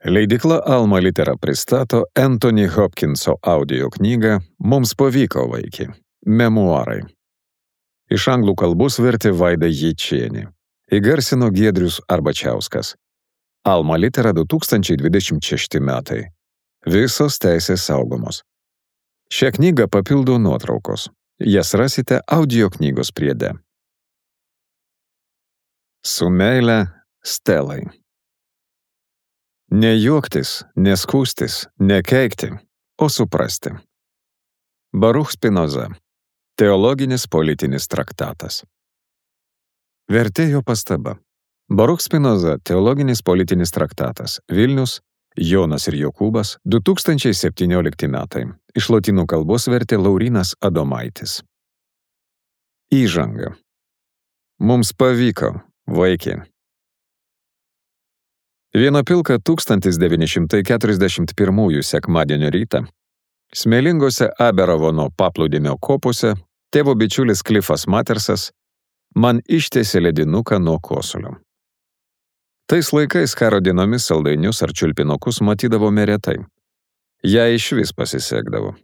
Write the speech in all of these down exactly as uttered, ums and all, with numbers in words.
Leidykla Alma Litera pristato Anthony Hopkinso audio knygą Mums pavyko, vaiki. Memuarai. Iš anglų kalbos vertė Vaida Jėčienė. Įgarsino Giedrius Arbačiauskas. Alma Litera du tūkstančiai dvidešimt šešti metai. Visos teisės saugomos. Šią knygą papildo nuotraukos. Jas rasite audio knygos priede. Su meile Stelai. Ne juoktis, neskūstis, nekeikti, o suprasti. Baruch Spinoza. Teologinis politinis traktatas. Vertėjo pastaba. Baruch Spinoza. Teologinis politinis traktatas. Vilnius. Jonas ir Jokūbas. du tūkstančiai septyniolikti metai. Iš lotynų kalbos vertė Laurynas Adomaitis. Įžanga. Mums pavyko, vaiki. Vieną pilką tūkstantis devyni šimtai keturiasdešimt pirmųjų sekmadienio rytą smėlingose Aberavono paplūdimio kopose tėvo bičiulis Klifas Matersas man ištiesė ledinuką nuo kosulio. Tais laikais karo dienomis saldainius ar čiulpinukus matydavome retai. Jai išvis pasisekdavo.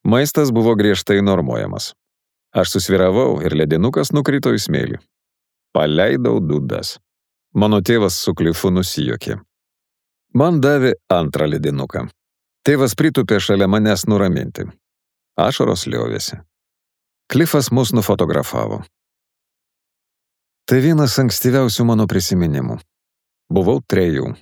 Maistas buvo griežtai normuojamas. Aš susviravau ir ledinukas nukrito į smėlį. Paleidau dūdas. Mano tėvas su Klifu nusijuokė. Man davė antrą ledinuką. Tėvas pritūpė šalia manęs nuraminti. Ašaros liovėsi. Klifas mus nufotografavo. Tai vienas ankstyviausių mano prisiminimų. Buvau trejų.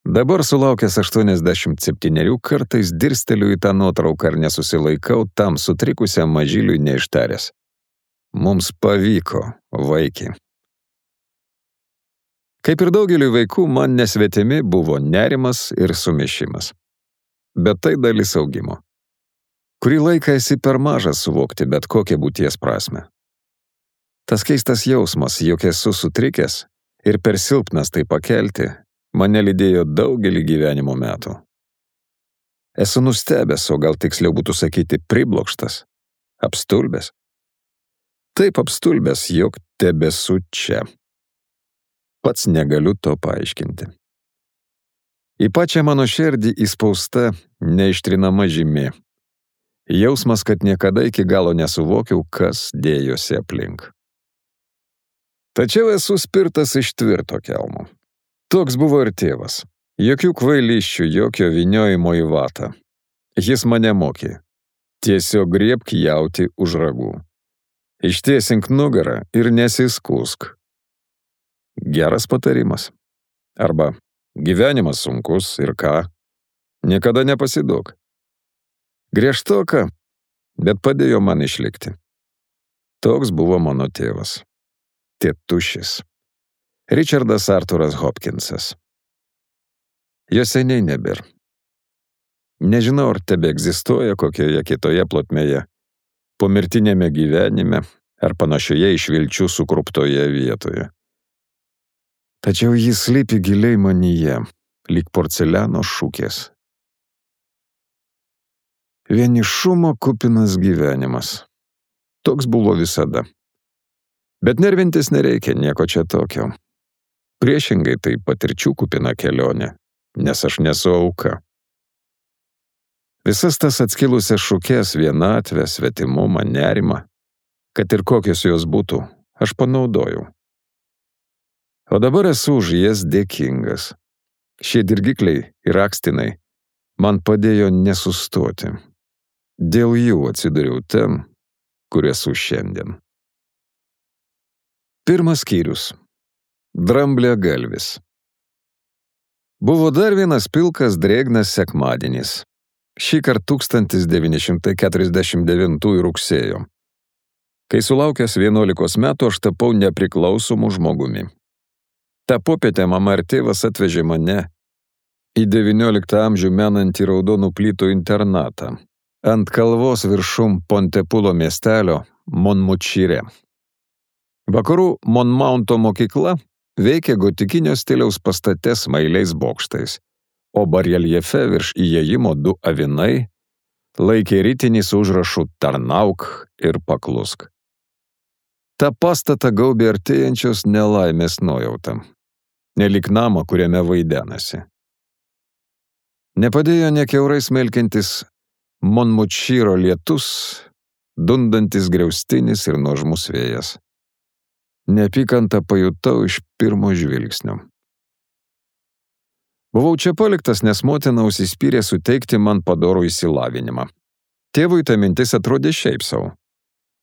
Dabar sulaukęs aštuoniasdešimt septynerių kartais dirsteliu į tą nuotrauką ir nesusilaikau tam sutrikusiam mažyliui neištaręs. Mums pavyko, vaiki. Kaip ir daugeliui vaikų, man nesvetimi buvo nerimas ir sumišimas. Bet tai dalis augimo. Kurį laiką esi per mažas suvokti bet kokią būties prasmę. Tas keistas jausmas, jog esu sutrikęs ir per silpnas tai pakelti, mane lydėjo daugelį gyvenimo metų. Esu nustebęs, o gal tiksliau būtų sakyti priblokštas, apstulbęs. Taip apstulbęs, jog tebesu čia. Pats negaliu to paaiškinti. Į pačią mano širdį įspausta neištrinama žymė. Jausmas, kad niekada iki galo nesuvokiau, kas dėjosi aplink. Tačiau esu spirtas iš tvirto kelmo. Toks buvo ir tėvas. Jokių kvailysčių, jokio vyniojimo į vatą. Jis mane mokė. Tiesiog griebk jautį už ragų. Ištiesink nugarą ir nesiskūsk. Geras patarimas. Arba gyvenimas sunkus ir ką? Niekada nepasiduok. Griežtoka, bet padėjo man išlikti. Toks buvo mano tėvas. Tėtušis. Richardas Arturas Hopkinsas. Jo seniai nebėr. Nežinau, ar tebe egzistuoja kokioje kitoje plotmėje, pomirtinėme gyvenime ar panašioje iš vilčių sukruptoje vietoje. Tačiau jis slypi giliai manyje, lyg porceliano šukės. Vienišumo kupinas gyvenimas. Toks buvo visada. Bet nervintis nereikia nieko čia tokio. Priešingai tai patirčių kupina kelionė, nes aš nesu auka. Visas tas atskilusias šukės, vienatvę, svetimumą, nerimą, kad ir kokios jos būtų, aš panaudojau. O dabar esu už jas dėkingas. Šie dirgikliai ir akstinai man padėjo nesustoti. Dėl jų atsidariau ten, kur esu šiandien. Pirmas skyrius. Dramblė galvis. Buvo dar vienas pilkas drėgnas sekmadienis. Šįkart tūkstantis devyni šimtai keturiasdešimt devintųjų rugsėjo. Kai sulaukęs vienuolikos metų, aš tapau nepriklausomu žmogumi. Ta popietę mama ir tėvas atvežė mane į devynioliktą amžių menantį raudonų plytų internatą ant kalvos viršum Pontepulo miestelio Monmučyre. Vakarų Monmaunto mokykla veikė gotikinio stiliaus pastate smailiais bokštais, o bareljefe virš įėjimo du avinai laikė ritinį su užrašu Tarnauk ir paklusk. Ta pastatą gaubė artėjančios nelaimės nuojauta. nelik namą, kuriame vaidenasi. Nepadėjo nekiaurai smelkiantis Monmutšyro lietus, dundantis griaustinis ir nuožmus vėjas. Neapykantą pajutau iš pirmo žvilgsnio. Buvau čia paliktas, nes motina užsispyrė suteikti man padorų išsilavinimą. Tėvui ta mintis atrodė šiaip savo.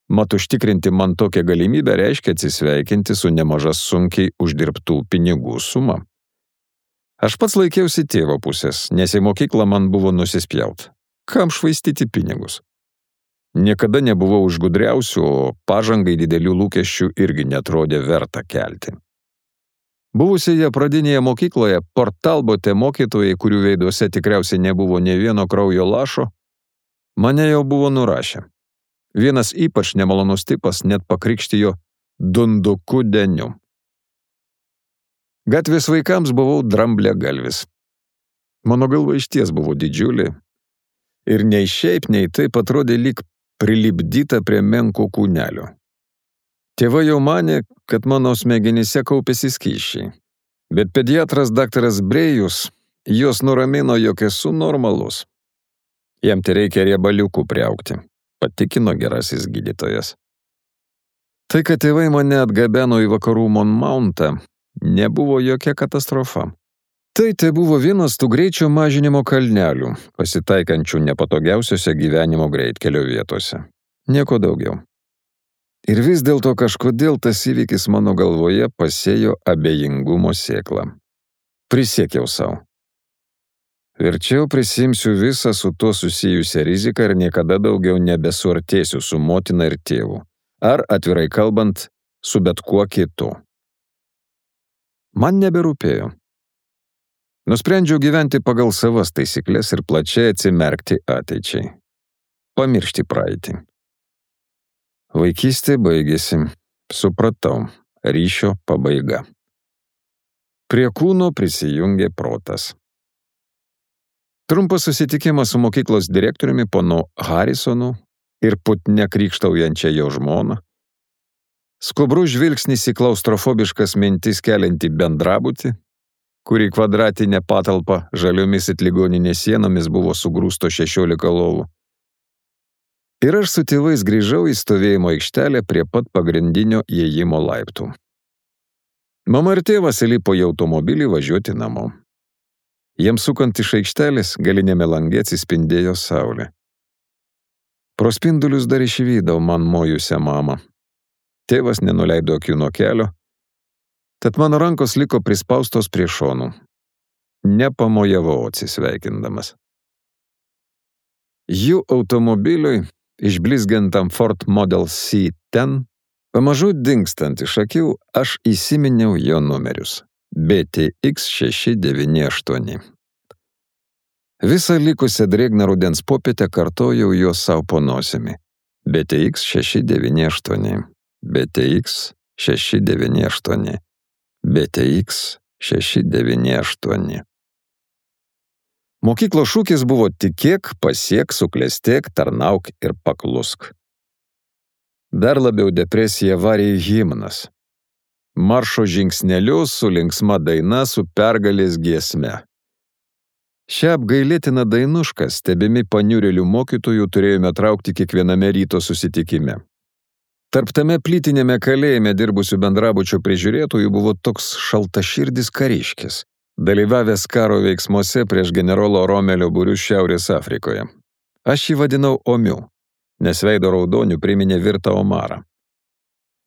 Mat užtikrinti man tokią galimybę reiškia atsisveikinti su nemaža sunkiai uždirbtų pinigų suma. Aš pats laikiausi tėvo pusės, nes į mokyklą man buvo nusispjaut. Kam švaistyti pinigus? Niekada nebuvau už gudriausių, o pažangai didelių lūkesčių irgi netrodė verta kelti. Buvusioje pradinėje mokykloje Portalbote mokytojai, kurių veiduose tikriausiai nebuvo nė vieno kraujo lašo, mane jau buvo nurašę. Vienas ypač nemalonus tipas net pakrikštijo dunduku deniu. Gatvės vaikams buvau dramblė galvis. Mano galva išties buvo didžiulė ir nei šiaip, nei taip atrodė lyg prilipdyta prie menko kūnelio. Tėvai jau manė, kad mano smegenyse kaupėsi skysčiai, bet pediatras daktaras Brėjus jos nuramino, jog esu normalus. Jam tai reikia riebaliukų priaugti, patikino gerasis gydytojas. Tai, kad tėvai mane atgabeno į vakarų Monmountą, nebuvo jokia katastrofa. Tai tai buvo vienas tų greičio mažinimo kalnelių, pasitaikančių nepatogiausiose gyvenimo greitkelio vietose. Nieko daugiau. Ir vis dėlto kažkodėl tas įvykis mano galvoje pasėjo abejingumo sėklą. Prisiekiau savo. Verčiau prisimsiu visą su tuo susijusią riziką ir niekada daugiau nebesuartėsiu su motina ir tėvu. Ar, atvirai kalbant, su bet kuo kitu. Man neberūpėjo. Nusprendžiau gyventi pagal savas taisyklės ir plačiai atsimerkti ateičiai. Pamiršti praeitį. Vaikystė baigėsi. Supratau. Ryšio pabaiga. Prie kūno prisijungė protas. Trumpas susitikimas su mokyklos direktoriumi ponu Harrisonu ir putne krykštaujančia jo žmona. Skubrus žvilgsnis į klaustrofobiškas mintis keliantį bendrabutį, kurį kvadratinė patalpa žaliomis it ligoninės sienomis buvo sugrūsto šešiolika lovų. Ir aš su tėvais grįžau į stovėjimo aikštelę prie pat pagrindinio įėjimo laiptų. Mama ir tėvas įlipo į automobilį važiuoti namo. Jiems sukant iš aikštelės galinėme lange atsispindėjo saulė. Pro spindulius dar išvydau man mojusią mamą. Tėvas nenuleido akių nuo kelio, tad mano rankos liko prispaustos prie šonų. Nepamojavau atsisveikindamas. Jų automobiliui, išblizgintam Ford Model C ten, pamažu dingstant iš akių, aš įsiminiau jo numerius. B T X šeši devyni aštuoni. Visą likusią drėgną rudens popietę kartojau juos savo po nosimi. B T X šeši devyni aštuoni. B T X šeši devyni aštuoni. B T X šeši devyni aštuoni. Mokyklos šūkis buvo tikėk, pasiek, suklestėk, tarnauk ir paklusk. Dar labiau depresiją varė himnas. Maršo žingsnelius su linksma daina su pergalės giesme. Šią apgailėtiną dainušką, stebimi paniurėlių mokytojų, turėjome traukti kiekviename ryto susitikime. Tarp tame plytinėme kalėjime dirbusių bendrabučio prižiūrėtojų buvo toks šaltaširdis kariškis, dalyvavęs karo veiksmuose prieš generolo Romelio būrius Šiaurės Afrikoje. Aš jį vadinau Omiu, nes veido raudonių priminė virtą omarą.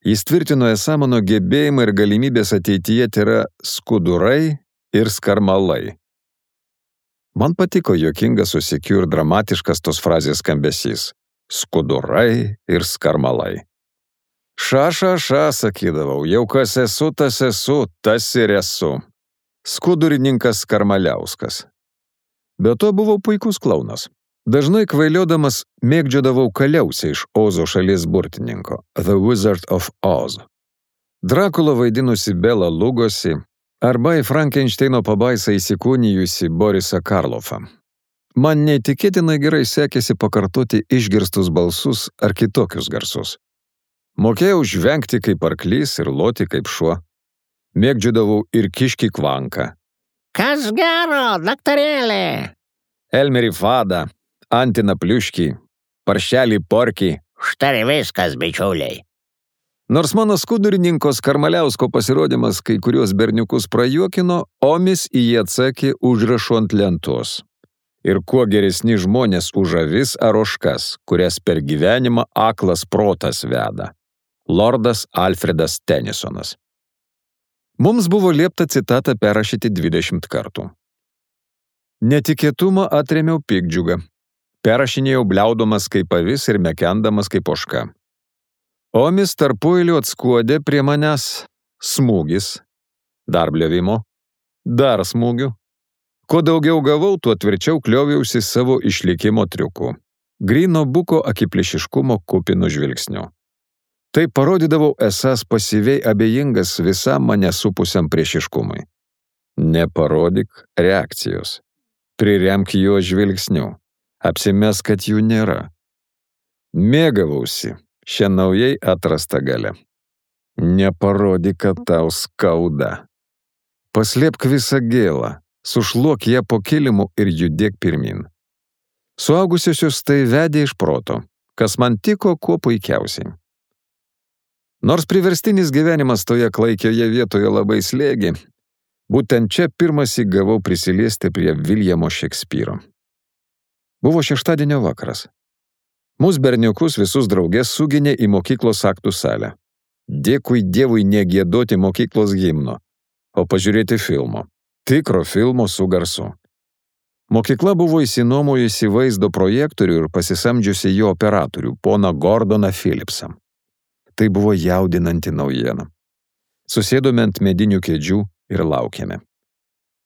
Jis tvirtino esą mano gebėjimai ir galimybės ateityje yra skudurai ir skarmalai. Man patiko juokingas, susikiu ir dramatiškas tos frazės skambesys. Skudurai ir skarmalai. Ša, ša, ša, sakydavau, jau kas esu, tas esu, tas ir esu. Skudurininkas Skarmaliauskas. Be to buvau puikus klaunas. Dažnai kvailiodamas mėgdžiodavau kaliausią iš Ozo šalies burtininko, The Wizard of Oz. Drakulą vaidinusi Bela Lugosi arba į Frankensteino pabaisą įsikūnijusi Borisą Karloffą. Man neįtikėtinai gerai sekėsi pakartoti išgirstus balsus ar kitokius garsus. Mokėjau žvengti kaip arklys ir loti kaip šuo. Mėgdžiodavau ir kiškį kvanką. Kas gero, daktarėlė? Elmerį fadą, antiną pliuškį, paršelį porkį. Štai viskas, bičiuliai. Nors mano skudurininko Karmaliausko pasirodymas kai kurios berniukus prajuokino, Omis į jį atsakė užrašu ant lentos. Ir kuo geresni žmonės už avis ar ožkas, kurias per gyvenimą aklas protas veda. Lordas Alfredas Tenisonas. Mums buvo liepta citatą perrašyti dvidešimt kartų. Netikėtumą atrėmiau piktdžiugą. Perrašinėjau bliaudomas kaip avis ir mekendamas kaip ožka. Omis tarpueiliu atskuodė prie manęs smūgis, dar bliovimo, dar smūgių. Kuo daugiau gavau, tuo tvirčiau klioviausi savo išlikimo triukų. Gryno buko akiplėšiškumo kupinu žvilgsniu. Tai parodydavau esąs pasyviai abejingas visam mane supusiam priešiškumui. Neparodyk reakcijos. Priremk jo žvilgsniu. Apsimes, kad jų nėra. Mėgavausi šią naujai atrastą galę. Neparodyk, kad tau skauda. Paslėpk visą gėlą, sušluok ją po kilimu ir judėk pirmin. Suaugusiosius tai vedė iš proto, kas man tiko kuo puikiausiai. Nors priverstinis gyvenimas toje klaikioje vietoje labai slėgė, būtent čia pirmąsyk gavau prisiliesti prie Viljamo Šekspyro. Buvo šeštadienio vakaras. Mūsų berniukus visus draugės suginė į mokyklos aktų salę. Dėkui Dievui negiedoti mokyklos himno, o pažiūrėti filmo. Tikro filmo su garsu. Mokykla buvo įsinuomojusi vaizdo projektorių ir pasisamdžiusi jo operatorių, poną Gordoną Philipsą. Tai buvo jaudinanti naujiena. Susėdome ant medinių kėdžių ir laukėme.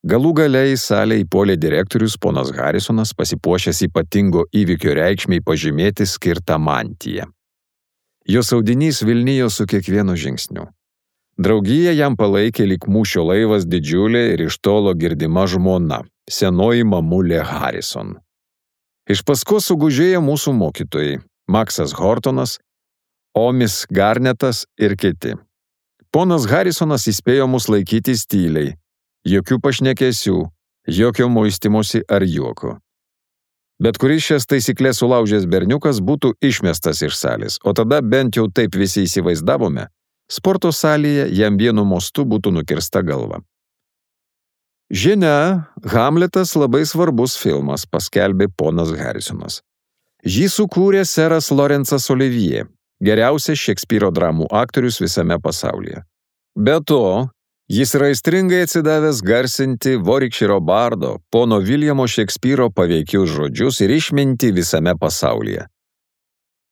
Galų gale į salę įpuolė direktorius ponas Harisonas, pasipuošęs ypatingo įvykio reikšmei pažymėti skirtą mantiją. Jo audinys vilnijo su kiekvienu žingsniu. Draugiją jam palaikė lyg mūšio laivas didžiulė ir iš tolo girdima žmona, senoji mamulė Harison. Iš paskos sugužėjo mūsų mokytojai, Maksas Hortonas, Omis Garnetas ir kiti. Ponas Harisonas įspėjo mus laikytis tyliai, jokių pašnekesių, jokio muistimosi ar juoko. Bet kuris šias taisyklės sulaužęs berniukas būtų išmestas iš salės, o tada bent jau taip visi įsivaizdavome, sporto salėje jam vienu mostu būtų nukirsta galva. Žinia, Hamletas labai svarbus filmas, paskelbė ponas Harisonas. Jį sukūrė seras Lorencas Olivier, geriausias Šekspyro dramų aktorius visame pasaulyje. Be to, jis yra aistringai atsidavęs garsinti Vorikširo bardo, pono Viljamo Šekspyro paveikius žodžius ir išmintį visame pasaulyje.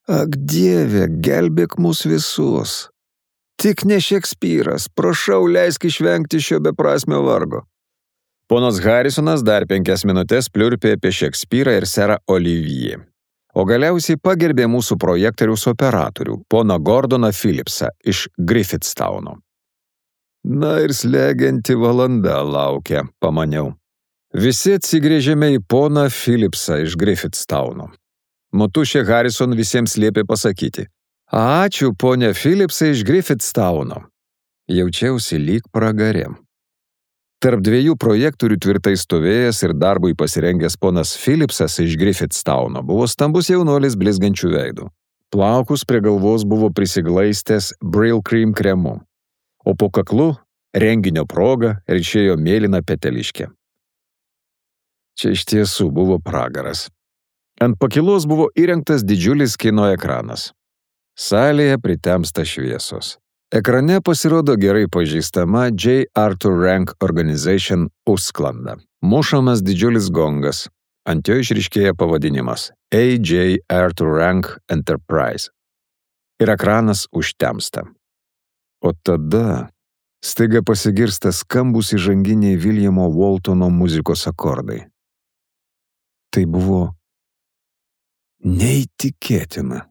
Ak Dieve, gelbėk mus visus. Tik ne Šekspyras, prašau, leisk išvengti šio beprasmio vargo. Ponas Harisonas dar penkias minutės pliurpė apie Šekspyrą ir serą Olivier. O galiausiai pagerbė mūsų projektoriaus operatorių, poną Gordoną Philipsą iš Griffithstowno. Na ir slegianti valanda laukia, pamaniau. Visi atsigrėžėme į poną Philipsą iš Griffithstowno. Motušė Harison visiems liepė pasakyti: Ačiū, ponė Philipsai iš Griffithstowno. Jaučiausi lyg pragarėm. Tarp dviejų projektorių tvirtai stovėjęs ir darbui pasirengęs ponas Philipsas iš Griffithstowno buvo stambus jaunuolis blizgančių veidų. Plaukus prie galvos buvo prisiglaistęs Brill Cream kremu, o po kaklu renginio proga ryšėjo mėlyna peteliškė. Čia iš tiesų buvo pragaras. Ant pakilos buvo įrengtas didžiulis kino ekranas. Salėje pritemsta šviesos. Ekrane pasirodo gerai pažįstama J. Arthur Rank Organization užsklanda. Mušamas didžiulis gongas. Ant jo išryškėja pavadinimas A J. Arthur Rank Enterprise. Ir ekranas užtemsta. O tada staiga pasigirsta skambūs įžanginiai Viljamo Waltono muzikos akordai. Tai buvo neįtikėtina.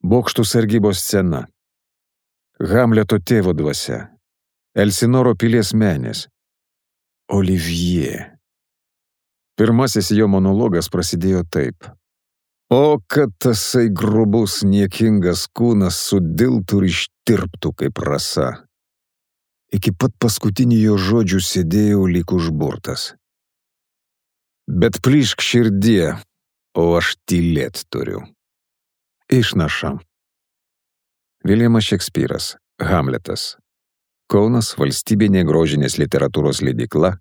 Bokštų sargybos scena. Hamleto tėvo dvasia. Elsinoro pilies menės. Olivier. Pirmasis jo monologas prasidėjo taip. O, kad tasai grubus, niekingas kūnas sudiltų ir ištirptų kaip rasa. Iki pat paskutinių jo žodžių sėdėjau lyg užburtas. Bet plyšk širdie, o aš tylėt turiu. Išnaša. Viljamas Šekspyras, Hamletas. Kaunas, Valstybinė grožinės literatūros leidykla,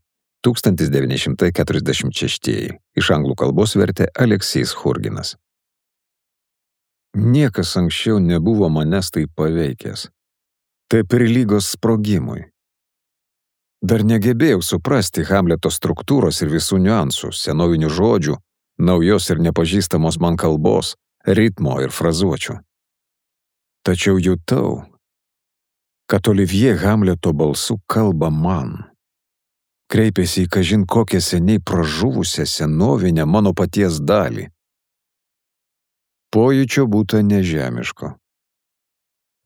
tūkstantis devyni šimtai keturiasdešimt šeštieji. Iš anglų kalbos vertė Aleksys Churginas. Niekas anksčiau nebuvo manęs taip paveikęs. Tai prilygos sprogimui. Dar negebėjau suprasti Hamleto struktūros ir visų niuansų, senovinių žodžių, naujos ir nepažįstamos man kalbos, ritmo ir frazuočių. Tačiau jutau, kad Olivier Hamleto balsu kalba man. Kreipėsi į kažin kokią seniai pražuvusią senovinę mano paties dalį. Pojūčio būta nežemiško.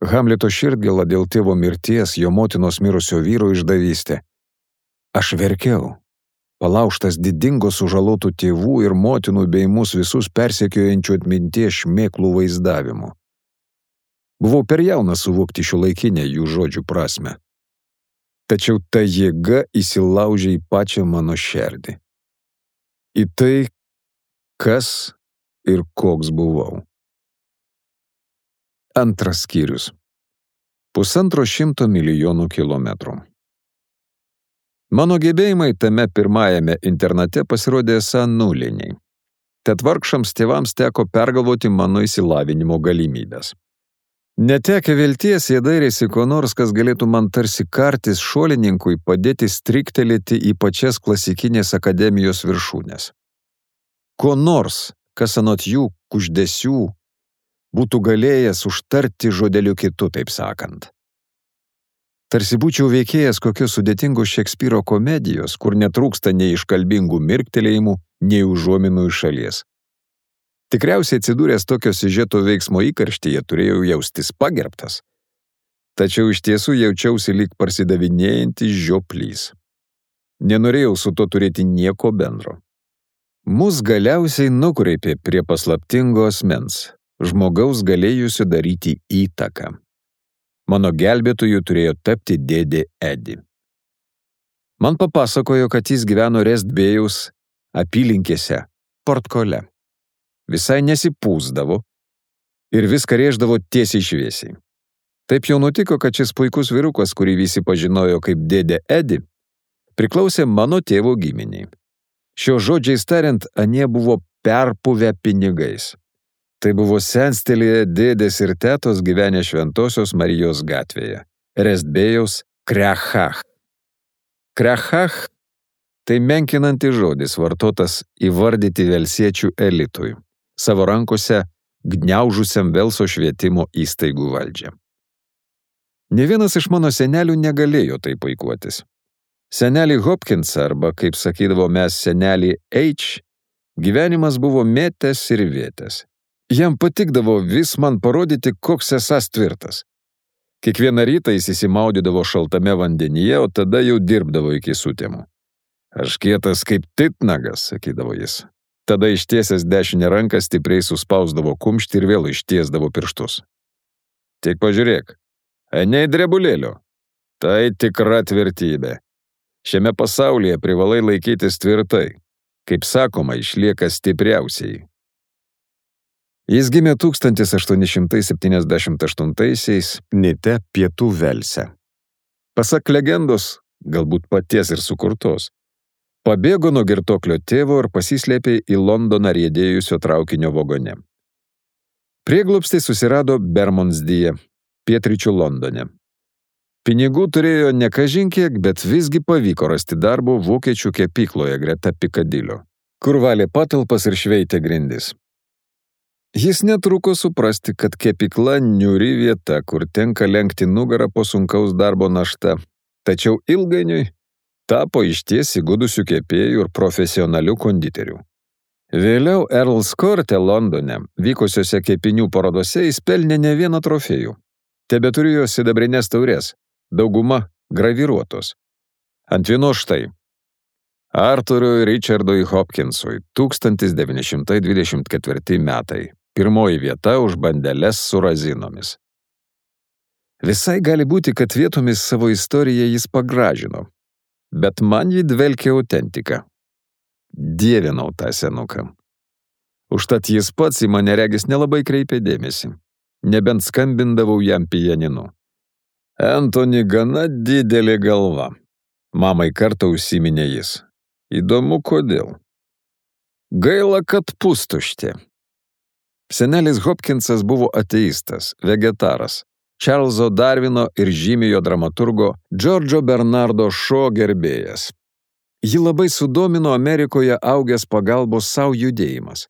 Hamleto širdgėla dėl tėvo mirties, jo motinos mirusio vyro išdavystė. Aš verkiau, palaužtas didingo sužalotų tėvų ir motinų bei mus visus persekiojančių atminties šmėklų vaizdavimu. Buvau per jaunas suvokti šiuolaikinę jų žodžių prasmę. Tačiau ta jėga įsilaužė į pačią mano širdį. Į tai, kas ir koks buvau. Antras skyrius. Pusantro šimto milijonų kilometrų. Mano gebėjimai tame pirmajame internate pasirodė esą nuliniai. Tad vargšams tėvams teko pergalvoti mano išsilavinimo galimybės. Netekę vilties, jie dairėsi ko nors, kas galėtų man tarsi kartis šuolininkui padėti striktelėti į pačias klasikinės akademijos viršūnės. Ko nors, kas anot jų kuždesių būtų galėjęs užtarti žodeliu kitu, taip sakant. Tarsi būčiau veikėjas kokios sudėtingos Šekspyro komedijos, kur netrūksta nei iškalbingų mirktelėjimų, nei užuominų iš šalies. Tikriausiai atsidūręs tokio siužeto veiksmo įkarštyje turėjau jaustis pagerbtas. Tačiau iš tiesų jaučiausi lyg parsidavinėjantis žioplys. Nenorėjau su to turėti nieko bendro. Mus galiausiai nukreipė prie paslaptingo asmens, žmogaus galėjusio daryti įtaką. Mano gelbėtoju turėjo tapti dėdė Edi. Man papasakojo, kad jis gyveno Restbėjaus apylinkėse, Portkole. Visai nesipūsdavo ir viską rėždavo tiesiai šviesiai. Taip jau nutiko, kad šis puikus vyrukas, kurį visi pažinojo kaip dėdė Edi, priklausė mano tėvo giminiai. Šio žodžiais tariant, anie buvo perpuvę pinigais. Tai buvo senstelėje dėdės ir tetos gyvenę Šventosios Marijos gatvėje, Restbėjaus Krechach. Krechach – tai menkinantis žodis vartotas įvardyti velsiečių elitui, savo rankose gniaužusiam Velso švietimo įstaigų valdžią. Ne vienas iš mano senelių negalėjo tai puikuotis. Senelį Hopkins, arba, kaip sakydavo mes, senelį H, gyvenimas buvo mėtęs ir vėtęs. Jam patikdavo vis man parodyti, koks esąs tvirtas. Kiekvieną rytą jis įsimaudydavo šaltame vandenyje, o tada jau dirbdavo iki sutemų. Aš kietas kaip titnagas, sakydavo jis. Tada ištiesęs dešinę ranką stipriai suspausdavo kumštį ir vėl ištiesdavo pirštus. Tik pažiūrėk, anei drebulėlio. Tai tikra tvirtybė. Šiame pasaulyje privalai laikytis tvirtai. Kaip sakoma, išlieka stipriausiai. Jis gimė tūkstantis aštuoni šimtai septyniasdešimt aštuntaisiais Nite, Pietų Velse. Pasak legendos, galbūt paties ir sukurtos, pabėgo nuo girtoklio tėvo ir pasislėpė į Londoną riedėjusio traukinio vagone. Prieglobstį susirado Bermondsdyje, pietryčių Londone. Pinigų turėjo ne kažin kiek, bet visgi pavyko rasti darbo vokiečių kepykloje greta Pikadilio, kur valė patalpas ir šveitė grindis. Jis netruko suprasti, kad kepykla niūri vieta, kur tenka lenkti nugarą po sunkaus darbo našta, tačiau ilgainiui tapo išties įgudusių kepėjų ir profesionalių konditerių. Vėliau Earls Courte Londone vykusiose kepinių parodose jis pelnė ne vieną trofėjų. Tebeturėjo sidabrinės taurės, dauguma graviruotos. Ant vienos štai Arthurui Richardui Hopkinsui tūkstantis devyni šimtai dvidešimt ketvirti metai. Pirmoji vieta už bandeles su razinomis. Visai gali būti, kad vietomis savo istoriją jis pagražino, bet man jį dvelkė autentika. Dievinau tą senuką. Užtat jis pats į mane regis nelabai kreipė dėmesį, nebent skambindavau jam pianinu. Antony gana didelė galva. Mamai kartą užsiminė jis. Įdomu, kodėl. Gaila, kad pustuštė. Senelis Hopkinsas buvo ateistas, vegetaras, Čarlzo Darvino ir žymiojo dramaturgo Džordžo Bernardo Šo gerbėjas. Jį labai sudomino Amerikoje augęs pagalbos savo judėjimas.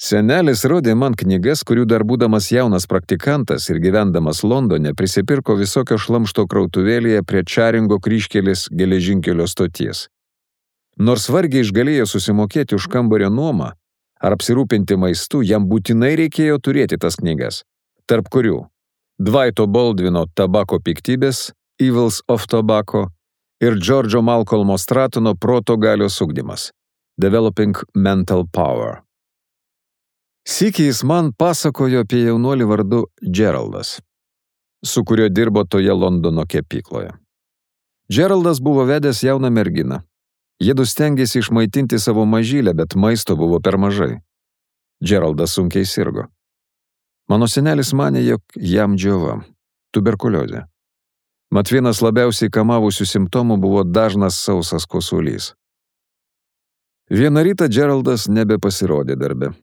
Senelis rodė man knygas, kurių dar būdamas jaunas praktikantas ir gyvendamas Londone prisipirko visokio šlamšto krautuvėlėje prie Čaringo kryžkelės geležinkelio stoties. Nors vargiai išgalėjo susimokėti už kambario nuomą ar apsirūpinti maistu, jam būtinai reikėjo turėti tas knygas, tarp kurių Dvaito Baldvino Tabako piktybės, Evils of Tobacco ir Džordžo Malcolmo Stratono Proto galios ugdymas, Developing Mental Power. Sykį jis man pasakojo apie jaunuolį vardu Geraldas, su kuriuo dirbo toje Londono kepykloje. Geraldas buvo vedęs jauną merginą. Jiedu stengėsi išmaitinti savo mažylę, bet maisto buvo per mažai. Geraldas sunkiai sirgo. Mano senelis manė, jog jam džiova, tuberkuliozė. Mat vienas labiausiai kamavusių simptomų buvo dažnas sausas kosulys. Vieną rytą Geraldas nebepasirodė darbe.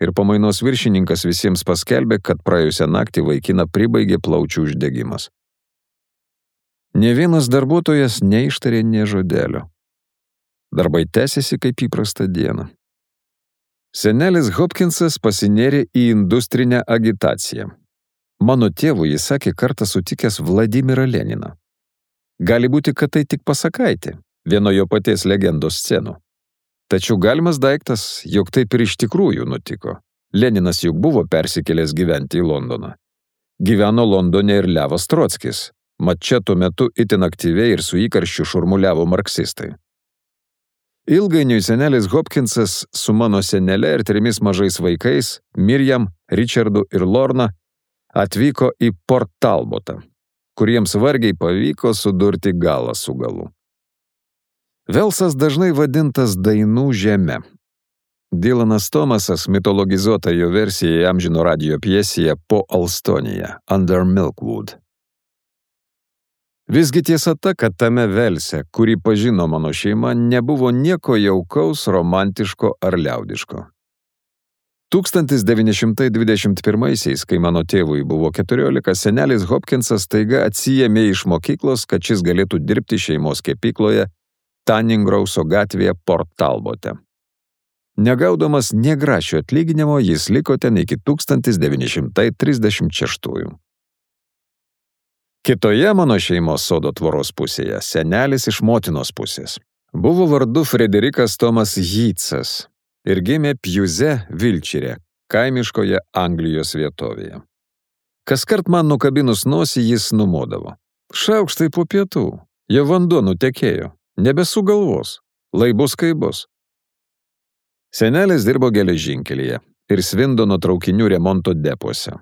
Ir pamainos viršininkas visiems paskelbė, kad praėjusią naktį vaikiną pribaigė plaučių uždegimas. Nė vienas darbuotojas neištarė nė žodelio. Darbai tęsėsi kaip įprasta diena. Senelis Hopkinsas pasinėrė į industrinę agitaciją. Mano tėvui jis sakė kartą sutikęs Vladimirą Leniną. Gali būti, kad tai tik pasakaitė, vieno jo paties legendos scenų. Tačiau galimas daiktas, jog taip ir iš tikrųjų nutiko. Leninas juk buvo persikėlęs gyventi į Londoną. Gyveno Londone ir Levas Trockis, mat čia tuo metu itin aktyviai ir su įkarščiu šurmuliavo marksistai. Ilgainiui senelis Hopkinsas su mano senele ir trimis mažais vaikais, Miriam, Richardu ir Lorna, atvyko į Port Talbotą, kuriems vargiai pavyko sudurti galą su galu. Velsas dažnai vadintas dainų žeme. Dylanas Thomasas mitologizuota jo versija įamžino radijo pjesėje Po Alstonija, Under Milkwood. Visgi tiesa ta, kad tame Velse, kurį pažino mano šeima, nebuvo nieko jaukaus, romantiško ar liaudiško. tūkstantis devyni šimtai dvidešimt pirmaisiais, kai mano tėvui buvo keturiolika, senelis Hopkinsas staiga atsiėmė iš mokyklos, kad šis galėtų dirbti šeimos kepykloje Tanningrauso gatvėje Port Talbote. Negaudamas nė grašio atlyginimo, jis liko ten iki tūkstantis devyni šimtai trisdešimt šeštųjų. Kitoje mano šeimos sodo tvoros pusėje senelis iš motinos pusės buvo vardu Frederikas Tomas Yeatsas ir gimė Pjuze Vilčire, kaimiškoje Anglijos vietovėje. Kaskart man nukabinus nosį jis numodavo. Šaukštai po pietų, jau vanduo nutekėjo, nebesugalvos, lai bus kai bus. Senelis dirbo geležinkelyje ir Svindono traukinių remonto depuose,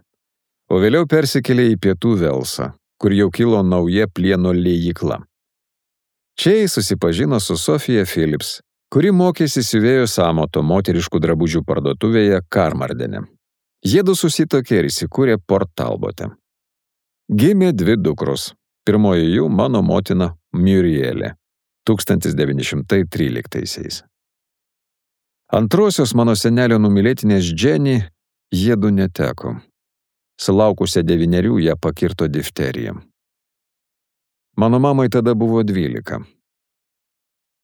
o vėliau persikėlė į pietų Velsą, kur jau kilo nauja plieno liejykla. Čia jis susipažino su Sofija Phillips, kuri mokėsi siuvėjos amato moteriškų drabužių parduotuvėje Karmardene. Jiedu susitokė ir įsikūrė Port Talbote. Gimė dvi dukros, pirmoji jų mano motina Murielė, tūkstantis devyni šimtai tryliktaisiais. Antrosios mano senelio numylėtinės Jenny jiedu neteko. Sulaukusią devynerių ją pakirto difterija. Mano mamai tada buvo dvylika.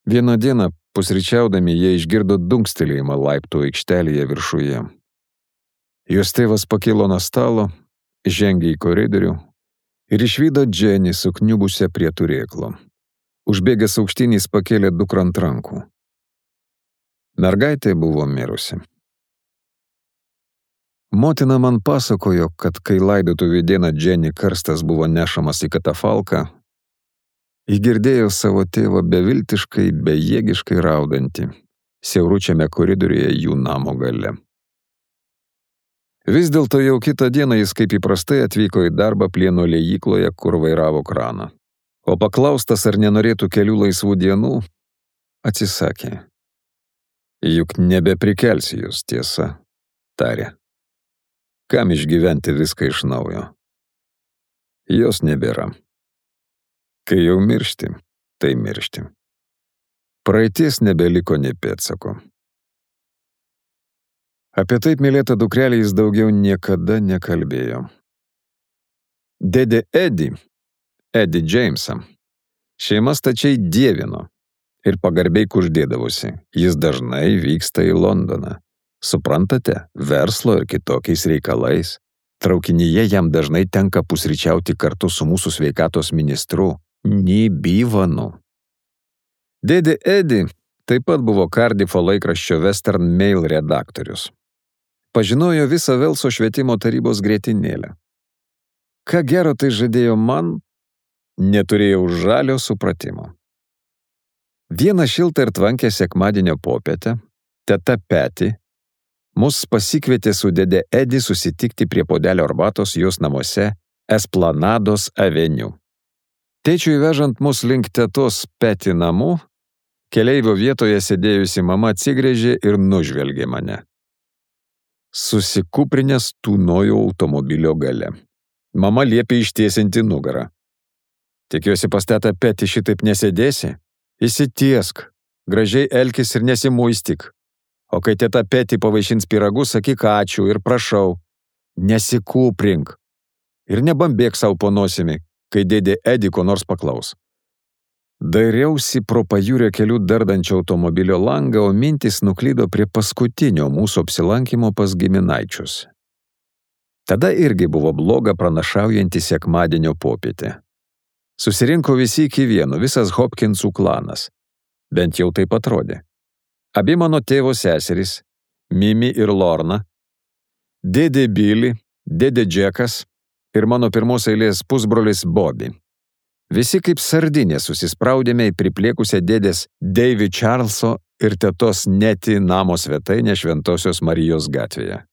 Vieną dieną, pusryčiaudami, jie išgirdo dunkstelėjimą laiptų aikštelėje viršuje. Jos tėvas pakilo nuo stalo, žengė į koridorių ir išvydo Jenny sukniubusią prie turėklo. Užbėgęs aukštyn jis pakėlė dukrą ant rankų. Mergaitė buvo mirusi. Motina man pasakojo, kad kai laidotuvių dieną Jenny karstas buvo nešamas į katafalką, ji girdėjo savo tėvą beviltiškai, bejėgiškai raudantį, siauručiame koridoriuje jų namo gale. Vis dėlto jau kitą dieną jis kaip įprastai atvyko į darbą plieno liejykloje, kur vairavo kraną. O paklaustas, ar nenorėtų kelių laisvų dienų, atsisakė. Juk nebeprikelsi jūs, tiesa, tarė. Kam išgyventi viską iš naujo? Jos nebėra. Kai jau miršti, tai miršti. Praeities nebeliko nė pėdsako. Apie taip mylėtą dukrelį jis daugiau niekada nekalbėjo. Dėdė Edi, Edi Džeimsą, šeima stačiai dievino ir pagarbiai kuždėdavosi. Jis dažnai vyksta į Londoną. Suprantate, verslo ir kitokiais reikalais. Traukinyje jam dažnai tenka pusryčiauti kartu su mūsų sveikatos ministru, Nibivanu. Dėdė Edi taip pat buvo Kardifo laikraščio Western Mail redaktorius. Pažinojo visą Velso švietimo tarybos grietinėlę. Ką gero tai žadėjo man, neturėjau žalio supratimo. Vieną šiltą ir tvankę sekmadienio popietę, teta Peti mus pasikvietė su dėdė Edi susitikti prie puodelio arbatos jos namuose Esplanados aveniu. Tėčiui vežant mus link tetos Peti namų, keleivio vietoje sėdėjusi mama atsigręžė ir nužvelgė mane. Susikūprinęs tūnojau automobilio gale. Mama liepė ištiesinti nugarą. Tikiuosi pas tetą Peti šitaip nesėdėsi? Įsitiesk, gražiai elkis ir nesimuistik. O kai teta Peti pavaišins pyragus, sakyk ačiū ir prašau, nesikūprink. Ir nebambėk savo po nosimi, kai dėdė Edi ko nors paklaus. Dairiausi pro pajūrio kelių dardančio automobilio langą, o mintis nuklydo prie paskutinio mūsų apsilankimo pas giminaičius. Tada irgi buvo bloga pranašaujanti sekmadienio popietė. Susirinko visi iki vieno, visas Hopkinsų klanas. Bent jau taip atrodė. Abi mano tėvo seserys, Mimi ir Lorna, dėdė Billy, dėdė Džekas ir mano pirmos eilės pusbrolis Bobby. Visi kaip sardinė susispraudėme į pripliekusią dėdės Davy Charleso ir tetos Neti namo svetainę Šventosios Marijos gatvėje.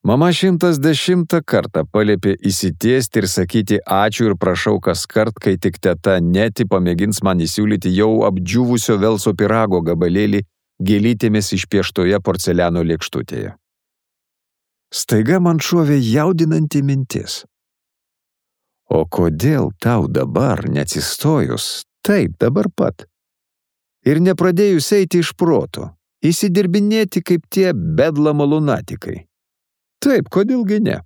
Mama šimtas dešimtą kartą paliepė įsitiesti ir sakyti ačiū ir prašau kas kart, kai tik teta Neti pamėgins man įsiūlyti jau apdžiūvusio Velso pyrago gabalėlį gėlytėmis išpieštoje porceliano lėkštutėje. Staiga man šovė jaudinanti mintis. O kodėl tau dabar neatsistojus, taip dabar pat, ir nepradėjus eiti iš proto, įsidirbinėti kaip tie bedlamo lunatikai? Taip, kodėlgi ne?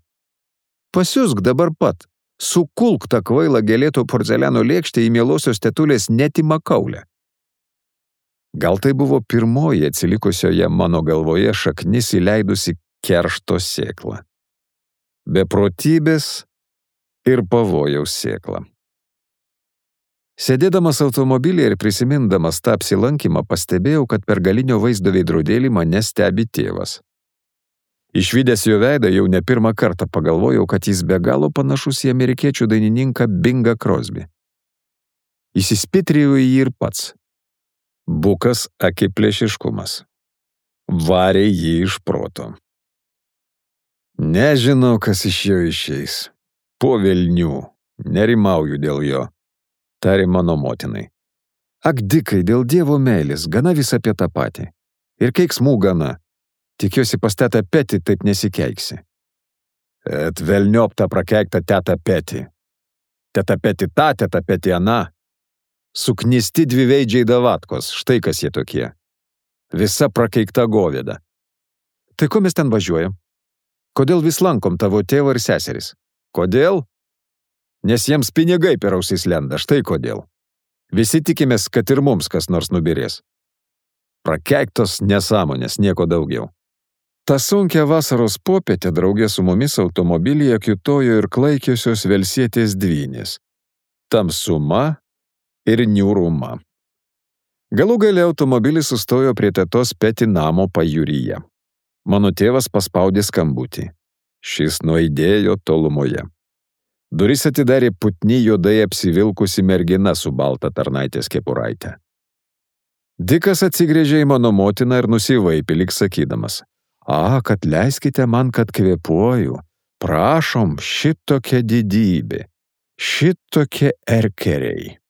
Pasiusk dabar pat, sukulk tą kvailą gėlėto porceliano lėkštę į mielosios tetulės Neti Makaulę. Gal tai buvo pirmoji atsilikusioje mano galvoje šaknis įleidusi keršto sėklą. Beprotybės ir pavojaus sėklą. Sėdėdamas automobilyje ir prisimindamas tą apsilankymą, pastebėjau, kad per galinio vaizdo veidrodėlį mane stebi tėvas. Išvydęs jo veidą jau ne pirmą kartą pagalvojau, kad jis be galo panašus į amerikiečių dainininką Bingą Crosby. Įsispitrijau į jį ir pats. Bukas akiplėšiškumas. Varė jį iš proto. Nežinau, kas iš jo išeis. Po velnių, nerimauju dėl jo, tarė mano motinai. Ak, Dikai, dėl Dievo meilės, gana vis apie tą patį. Ir keiksmų gana. Tikiuosi pas tetą Peti taip nesikeiksi. Et velniop tą prakeiktą tetą Peti. Teta Peti ta, teta Peti ana. Suknisti dviveidžiai davatkos, štai kas jie tokie. Visa prakeikta govėda. Tai ko mes ten važiuojam? Kodėl vis lankom tavo tėvą ir seseris? Kodėl? Nes jiems pinigai per ausis lenda, štai kodėl. Visi tikimės, kad ir mums kas nors nubirės. Prakeiktos nesąmonės, nieko daugiau. Ta sunkia vasaros popietė draugė su mumis automobilyje kiūtojo ir klaikiosios velsietės dvynės. Tamsuma ir niūruma. Galų gale automobilis sustojo prie tetos Peti namo pajūryje. Mano tėvas paspaudė skambutį. Šis nuaidėjo tolumoje. Duris atidarė putni juodai apsivilkusi mergina su balta tarnaitės kepuraite. Dikas atsigręžė į mano motiną ir nusivaipė lyg sakydamas: A, kad leiskite man, kad kvėpuoju. Prašom, šitokia didybė, šitokie erkeriai.